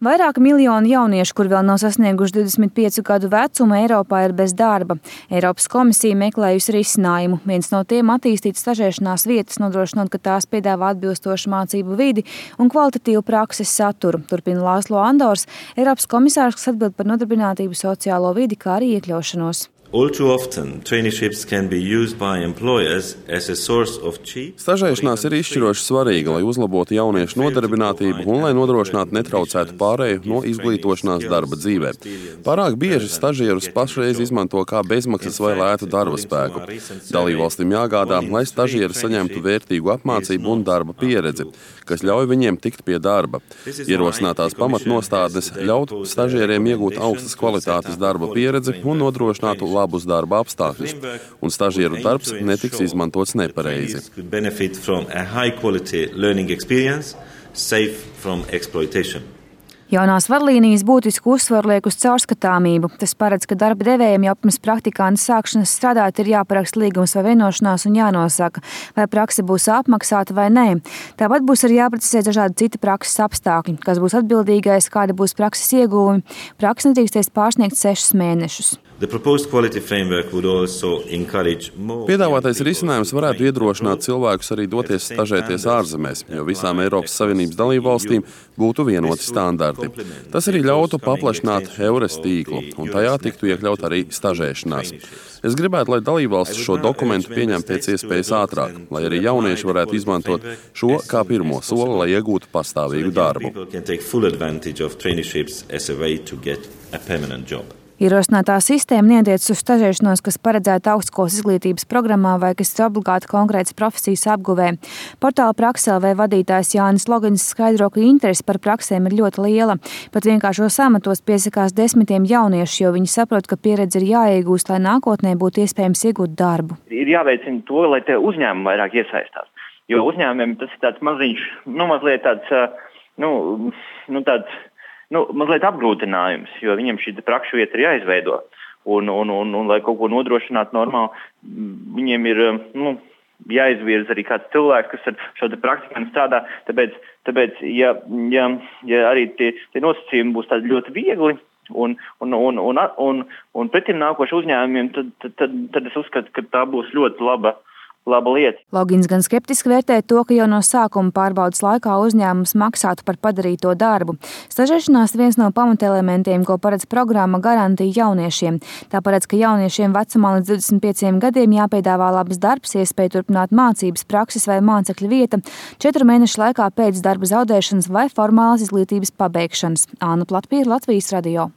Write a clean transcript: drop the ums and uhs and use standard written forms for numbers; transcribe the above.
Vairāki miljoni jauniešu, kur vēl nav sasnieguši 25 gadu vecumu, Eiropā ir bez darba. Eiropas komisija meklējusi risinājumu. Viens no tiem attīstīt stažēšanās vietas, nodrošinot, ka tās piedāvā atbilstošu mācību vidi un kvalitatīvu prakses saturu. Turpina Lāslo Andors, Eiropas komisārs, kas atbild par nodarbinātību, sociālo vidi, kā arī iekļaušanos. All too often, traineeships can be used by employers as a source of cheap. Stažēšanās ir izšķiroši svarīga, lai uzlabotu jauniešu nodarbinātību un lai nodrošinātu netraucētu pārēju no izglītošanās darba dzīvē. Pārāk bieži stažierus pašreiz izmanto kā bezmaksas vai lētu darba spēku. Dalībvalstīm jāgādā, lai stažieri saņemtu vērtīgu apmācību un darba pieredzi, kas ļauj viņiem tikt pie darba. Ierosinātās pamatnostādnes ļaut stažieriem iegūt augstas kvalitātes darba pieredzi un nodrošinātu labus darba apstākļus, un stažieru darbs netiks izmantots nepareizi. Jaunās vadlīnijas būtisku uzsvaru liek uz caurskatāmību. Tas paredz, ka darba devējiem jau pirms praktikanta sākšanas strādāt ir jāparaksta līgums vai vienošanās un jānosaka, vai prakse būs apmaksāta vai nē. Tāpat būs arī jāprecizē dažādi citi prakses apstākļi, kas būs atbildīgais, kādi būs prakses ieguvumi. Prakse nedrīkstēs pārsniegt 6 mēnešus. Piedāvātais risinājums varētu iedrošināt cilvēkus arī doties stažēties ārzemēs, jo visām Eiropas Savienības dalībvalstīm būtu vienoti standarti. Tas arī ļautu paplašināt EURES tīklu, un tajā tiktu iekļaut arī stažēšanās. Es gribētu, lai dalībvalstis šo dokumentu pieņem pēc iespējas ātrāk, lai arī jaunieši varētu izmantot šo kā pirmo soli, lai iegūtu pastāvīgu darbu. Ierosinātā sistēma netiecas uz stažēšanos, kas paredzēta augstskolas izglītības programmā vai kas ir obligāti konkrētas profesijas apguvē. Portāla Prakse.lv vadītājs Jānis Logins skaidro, ka interese par praksēm ir ļoti liela. Pat vienkāršos amatos piesakās desmitiem jauniešu, jo viņi saprot, ka pieredze ir jāiegūst, lai nākotnē būtu iespējams iegūt darbu. Ir jāveicina to, lai te uzņēmumi vairāk iesaistās. Jo uzņēmumiem tas ir tāds maziņš, mazliet tāds, mazliet apgrūtinājums, jo viņam šī prakšu vieta ir jāizveido. Un lai kaut ko nodrošinātu normāli, viņiem ir jāizvirza arī kāds cilvēks, kas ar šo praktikantu strādā. Tāpēc ja arī tie nosacījumi būs tādi ļoti viegli un pretim nākoši uzņēmumiem, tad es uzskatu, ka tā būs ļoti laba lieta. Logins gan skeptiski vērtē to, ka jau no sākuma pārbaudas laikā uzņēmums maksātu par padarīto darbu. Stažēšanās ir viens no pamatelementiem, ko paredz programma Garantija jauniešiem. Tā paredz, ka jauniešiem vecumā līdz 25 gadiem jāpiedāvā labs darbs, iespēja turpināt mācības, prakses vai mācekļa vieta 4 mēnešu laikā pēc darba zaudēšanas vai formālas izglītības pabeigšanas. Anna Platpīra, Latvijas radio.